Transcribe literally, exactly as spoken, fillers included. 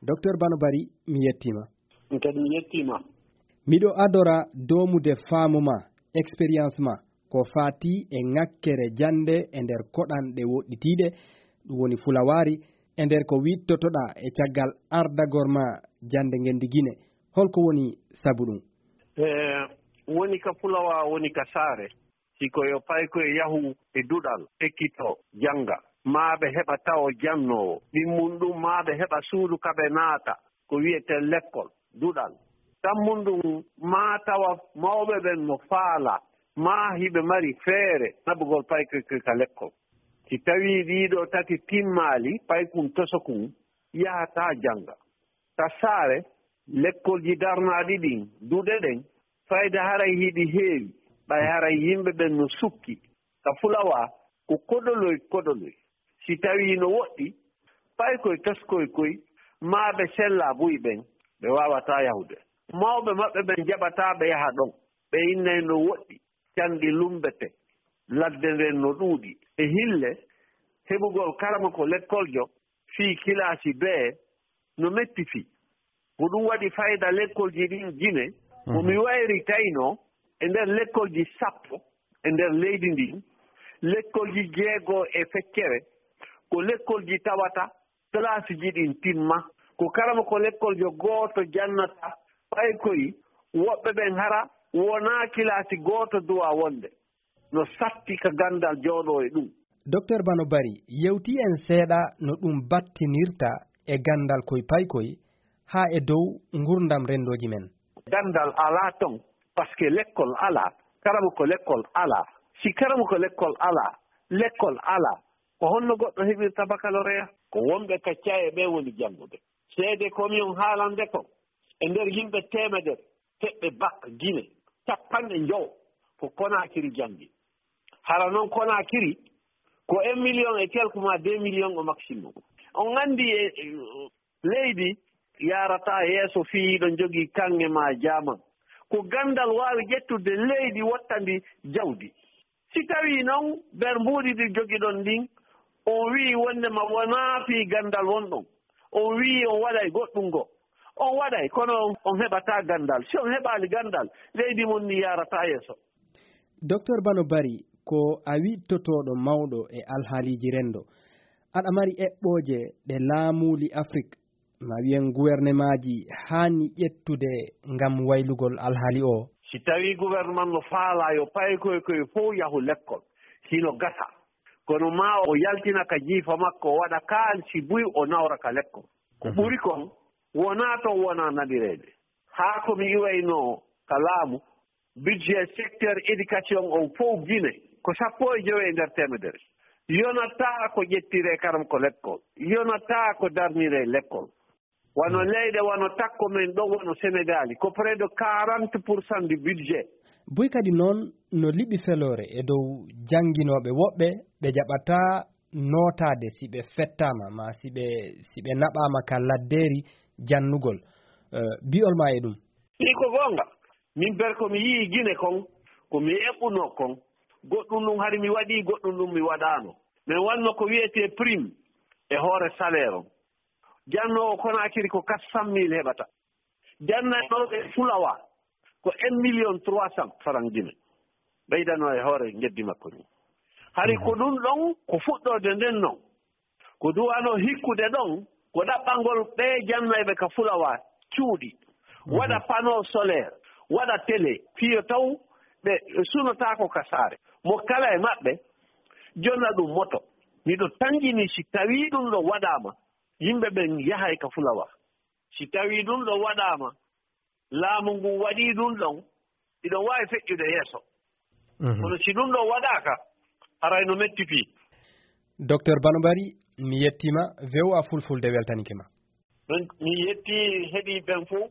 Docteur Bano Bari, mi yettiima. Min kadi mi yettiima. Miɗo adora doomude faamu ma, expérience ma, ko faati e ŋakkere jannde e nder koɗanɗe woɗɗitiiɗe, ɗum woni fulawaari, e nder ko wiɗtotoɗaa e caggal ardagol ma jannde ngenndi Gine. Holko woni sabu ɗum? E, woni ka fulawa, woni ka saare. Si ko yo paykoy yahu e duɗal, ekkitoo, jannga, maa ɓe heɓa tawo jannoowo, ɗimmun ɗum maa ɓe heɓa suudu ka ɓe naata, ko wiyetee lekkol, duɗal. Tammun ɗum maa tawa mawɓe ɓen no faalaa, maa hiɓe mari feere naɓugol paykoy koy ka lekkol. Si tawii ɗii ɗoo tati timmaali, paykun tosokun yahataa jannga. Ka saare, lekkolji darnaaɗi ɗin, duɗe ɗen, fayda haray hiɗi heewi, ɓay haray yimɓe ɓen no sukki. Ka fulawa, ko koɗoloy koɗoloy. Si tawii no woɗɗi, paykoy toskoy koy, maa ɓe sellaa buy ɓen, ɓe waawataa yahude. Mawɓe maɓɓe ɓen jaɓataa ɓe yaha ɗon. Ɓe innay no woɗɗi, canɗi lummbete, ladde nden no ɗuuɗi. E hille, heɓugol karamoko lekkoljo fii kilaasi bee no metti fii. Ko ɗum waɗi fayda lekkolji ɗin Gine, ko mi wayri taynoo e nder lekkolji sappo e nder leydi ndin, lekkolji jeego e feccere, ko lekkolji tawata kilaasiji ɗin timma. Ko karamoko lekkoljo gooto jannata, ɓay koy woɓɓe ɓen hara wonaa kilaasi gooto duwaa wonde. No satti ka ganndal jooɗoo e ɗum. Docteur Bano Bari, yewti en seeɗa no ɗum battinirta e ganndal koy paykoy haa e dow ngurndam renndooji men. Ganndal alaa ton, parce que lekkol alaa, karamoko lekkol alaa. Si karamoko lekkol alaa, lekkol alaa, ko honno goɗɗo heɓirta bakaloreya? Ko wonɓe ka caye ɓe woni janngude. Seede ko mi on haalande kon, e nder yimɓe teemedere, heɓɓe bak Gine, cappanɗe njowo ko Konaakiri janngi. Hara non Konaakiri ko un million et quelque maa deux millions au maximum. On anndi e, e, leydi yaarataa yeeso fii hiɗon jogii kaŋŋe maa jaaman. Ko ganndal waawi ƴettude leydi wotta ndi jawdi. Si tawii non nder mbuuɗi ɗi jogiɗon ɗin, on wi'i wonndema wonaa fii ganndal wonɗon, on wi'i on waɗay goɗɗum goo, on waɗay, kono on, on heɓataa ganndal. Si on heɓaali ganndal, leydi mon ni yaarataa yeeso. Docteur Bano Bari, ko a wiɗtotooɗo mawɗo e alhaaliiji renndo. Aɗa mari eɓɓooje ɗe laamuuli Afrik, ma wiyen guwernemaaji, haani ƴettude ngam waylugol alhaali oo? Si tawii guwerneman no faalaa yo paykoy koy fow yahu lekkol, hino gasa. Kono maa o yaltina ka jiifa makko, o waɗa kaalisi buy, o nawra ka lekkol. Ko ɓuri kon, wonaa ton wonaa naɓireede. Haa ko mi iwaynoo ka laamu, budget secteur éducation on fow Gine ko sappo e jowi e nder teemedere. Yonataa ko ƴettiree karamoko lekkol. Yonataa ko darniree lekkol. Wano leyɗe wano takko men ɗon, wano Senegaali, ko près de quarante pour cent du budget. Buy kadi noon no liɓi feloore e dow jannginooɓe woɓɓe ɓe jaɓataa nootaade si ɓe fettaama, maa si ɓe, si ɓe naɓaama ka laddeeri jannugol. Eh, bi'ol maa e ɗum? Ɗi ko goonga. Min ber ko mi yi'i Gine kon, ko mi eɓɓunoo kon, goɗɗum ɗum hari mi waɗii, goɗɗum ɗum mi waɗaano. Men wanno ko wi'etee prime e hoore salaire on. Jannoowo Konaakiri ko quatre cent mille heɓata. Jannaynooɓe Fulawa ko un million trois cent franc Gine. Ɓeydanoo e hoore geddi makko ni. Hari ko ɗum ɗon, ko fuɗɗoode nden non. Ko duwano hikkude ɗon, ko ɗaɓɓangol ɓee jannayɓe ka Fulawa cuuɗi, waɗa panneau solaire, waɗa télé, fiyo taw ɓe sunotaako ka saare. Mo kala e maɓɓe jonna ɗum moto. Miɗo tanƴini si tawii ɗum ɗo waɗaama, yimɓe ɓen yahay ka Fulawa. Si tawii ɗum ɗo waɗaama, laamu ngun waɗii ɗum ɗon, iɗon waawi feƴƴude yeeso. Mhm. Kono si ɗum ɗon waɗaaka, haray no metti fii. Docteur Bano Bari, mi yettiima, V O A Fulfulde weltanike ma. Min, mi yetti heɗii ɓen fow.